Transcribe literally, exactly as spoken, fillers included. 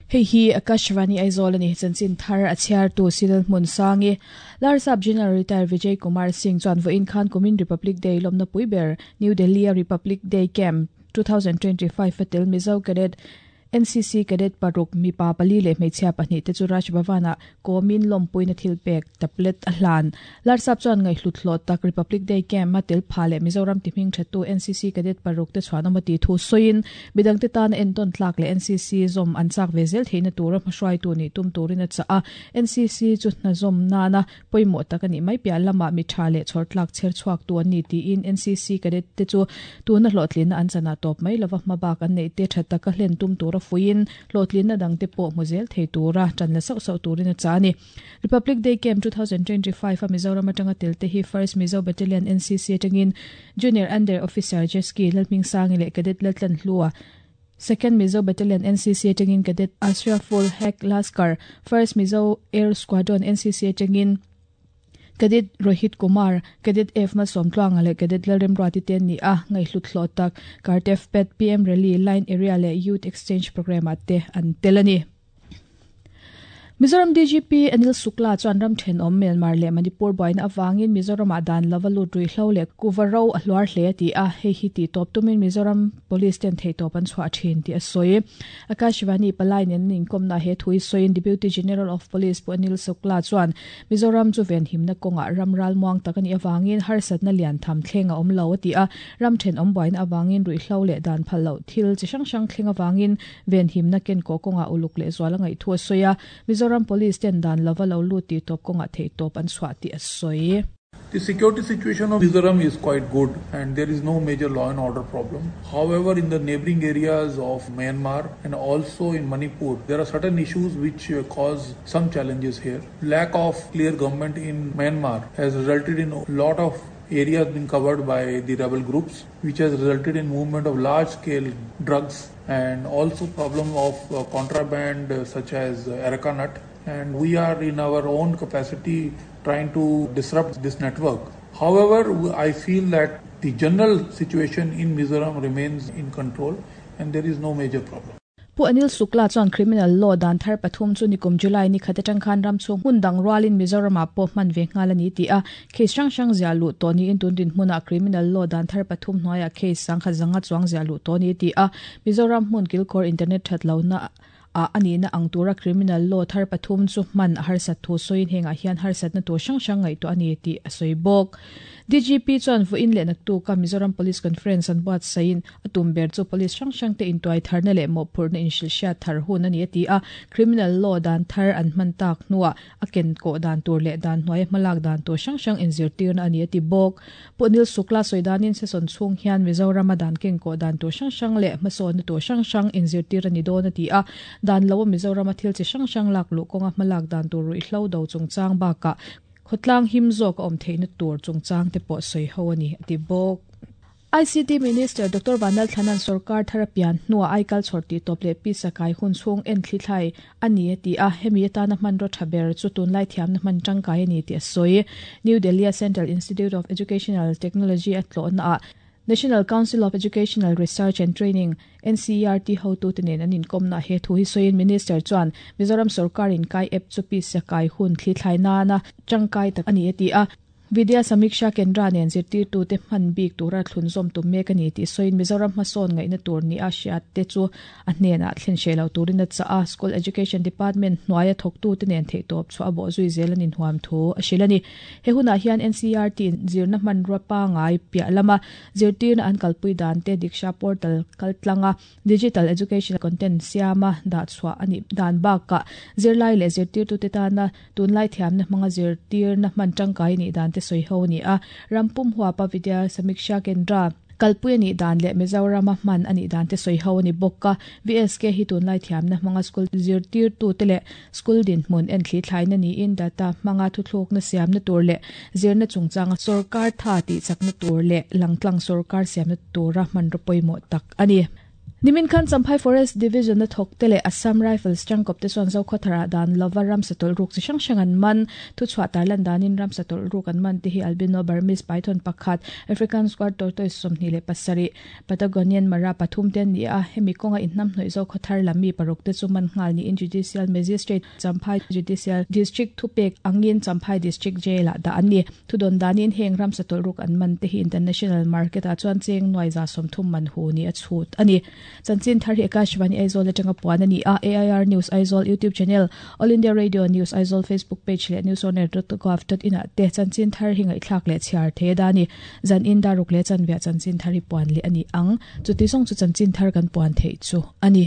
Hei hi Akashvani Aizawl ani chanchin thar a chhiar tu Silal Hmun Sangi Larsap General Retired Vijay Kumar Singh chuan vawiin khan kumin Republic Day lawmna pui ber New Delhi a Republic Day Camp twenty twenty-five a tel Mizo Cadet N C C Cadet paruk mipa pali leh hmeichhia pahnih te chu Raj Bhavan-ah kawmin lawmpuina thil pek tablet a hlan. Larsap chuan ngaihhlut hlawh tak Republic Day Camp a tel pha leh Mizoram ti hming thattu N C C Cadet paruk te chhuan awm a ti thu sawiin midang te tan a entawn tlak leh N C C zawm an chak ve zel theihna tura hmahruaitu nih tum turin a chah a. N C C chu hna zawm nana pawimawh tak ani mai piah lamah mi tha leh chhawr tlak chher chhuak tu an ni tiin N C C Cadet te chu tuna hlawhtlinna an chana tawp mai lova hmabak an neih te tha taka hlen tum tura fuin hlawhtlinna dang te pawh hmuzel thei tura tan la sauh sauh turin a cha ani. Republic Day Camp twenty twenty-five a Mizoram atanga tel te hi First Mizo Battalion N C C atangin Junior Under Officer Jeski Lalming Sangi leh Cadet Laltlan Hlua, Second Mizo Battalion N C C atangin Cadet Ashraful Hek Laskar, First Mizo Air Squadron N C C atangin Cadet Rohit Kumar, Cadet F Malsawmtluanga leh Cadet Lalremruati te an ni a ngaihhlut hlawh tak Cartef Pet P M Rally Line Area leh Youth Exchange Program ah te an tel ani. Mizoram D G P Anil Sukla chuan ram thenawm Myanmar leh Manipur buaina awangin Mizoram ah dan lova lut ruihhlo leh kuva ro a hluar hle ti a hei hi ti tawp tumin Mizoram Police ten thei tawp an chhuah thin ti a sawi. Akashvani palai nen inkawmna he thui sawiin Deputy General of Police pu Anil Sukla chuan Mizoram chu ven himna kawnga ram ral muang tak ani awangin harsatna lian tham thleng a awm lo a ti a ram thenawm buaina awangin ruihhlo leh dan phal lo thil chi hrang hrang thleng awangin ven himna ken ko kawnga uluk leh zual a ngaih thu a sawi a. Mizoram Police ten dan lova lo lut ti tawp kawnga thei tawp an chhuah ti a sawi. The security situation of Mizoram is quite good and there is no major law and order problem. However, in the neighboring areas of Myanmar and also in Manipur, there are certain issues which cause some challenges here. Lack of clear government in Myanmar has resulted in a lot of areas being covered by the rebel groups, which has resulted in movement of large-scale drugs and also problem of uh, contraband uh, such as uh, areca nut. And we are in our own capacity trying to disrupt this network. However, I feel that the general situation in Mizoram remains in control and there is no major problem. Pu Anil Sukla chuan criminal law dan thar pathum chu nikum July ni khat atang khan ram chung hun dang rualin Mizoram ah pawh hman ve nghal ani ti a case hrang hrang zia lu to ni in tun din hmuna criminal law dan thar pathum hnuaia case sang kha zanga chuang zia lu to ni ti a Mizoram hmun kilkhawr internet that lo na a ani na ang tura criminal law thar pathum chu hman a harsat thu sawiin hengah hian harsatna tur hrang hrang ngaih tu ani ti a sawi bawk. D G P chuan vawiin leh naktu ka Mizoram Police Conference an buat sain atum ber chu police hrang hrang te intuai tharna leh mawhphurhna inhrilhhriat thar hun ani a ti a criminal law dan thar an hman tak hnuah a ken kawh dan tur leh dan hnuai hmalak dan tur hrang hrang inzirtirna ani a ti bawk. Pu Anil Sukla sawi danin session chhung hian Mizoram a dan ken kawh dan tur hrang hrang leh hmasawnna tur hrang hrang inzirtir ani dawn a ti a dan lo Mizoram a thil chi hrang hrang lak luh kawnga hmalak dan tur ruihhlo do chungchang bakah khawtlang him zawk a awm theihna tur chungchang te pawh sawi ho ani a ti bawk. I C T Minister Doctor Vanal Thanan Sarkar Tharapian hnuah aikal chhawr ti tawp leh pi sakai hun chhung en thli thlai ani a ti a hemi atana hman ro tha ber chu tunlai thiamna hman tangkai ani ti a sawi. New Delhi Central Institute of Educational Technology a tlawhna ah National Council of Educational Research and Training N C E R T hotu te nen an inkawmna he thu hi sawiin Minister chuan Mizoram Sarkar in kai app chu pi sakai hun thli thlai nana tangkai tak ani a ti a Vidya Samiksha Kendra nen zirtir tu te hman bik tura thlun zawm tum mek ani ti sawiin Mizoram hmasawn ngaihna tur ni a hriat te chu a hnenah thlen hre lo turin a chah a School Education Department hnuaia thawktu te nen theih tawp chu a bawh zui zel an inhuam thu a hril ani. He hunah hian N C E R T zirna hman rua pangai piah lama zirtirna an kalpui dan te Diksha portal kaltlanga digital education content siama dah chhuah ani dan bakah zirlai leh zirtirtu te tana tunlai thiamna hmanga zirtirna hman tangkai ni dan te sawi ho ni a rampum huapa Vidya Samiksha Kendra kalpui ani dan leh Mizoram a hman ani dan te sawi ho ani bawk a V S K hi tunlai thiamna hmanga school zirtirtu te leh school din hmun en thli thlaina niin data hmanga thuthlukna siamna tur leh zirna chungchanga sarkar tha ti chakna tur leh langtlang sarkar siamna tura hman ro pawimawh tak ani. Nimin khan Champhai Forest Division a thawk te leh Assam Rifles tangkawp te chuan Zokhawthar-ah dan lova ramsa tawlh ruk chi hrang hrang an man. Thuchhuah tarlan danin ramsa tawlh ruk an man te hi albino Burmese python pakhat, African squat tortoise sawmhnih leh pasarih, Patagonian mara pathum te an ni a. Hemi kawnga inhnamhnawih Zokhawthar lam mi paruk te chu man nghal niin Judicial Magistrate Champhai Judicial District thupek angin Champhai District Jail-ah dah an ni. Thudawn danin heng ramsa tawlh ruk an man te hi international market-ah chuan cheng nuai za sawmthum man hu ni a chhut a ni. Chanchin thar hi Akashvani Aizawl atanga puan a ni a. A I R News Aizawl YouTube channel, All India Radio News Aizawl Facebook page leh newsonair dot gov dot in ah te chanchin thar hi ngaihthlak leh chhiar the da ni. Zan in daruk leh chanvia chanchin thar hi puan leh a ni ang. Chuti zawng chu chanchin thar kan puan theih chu a ni.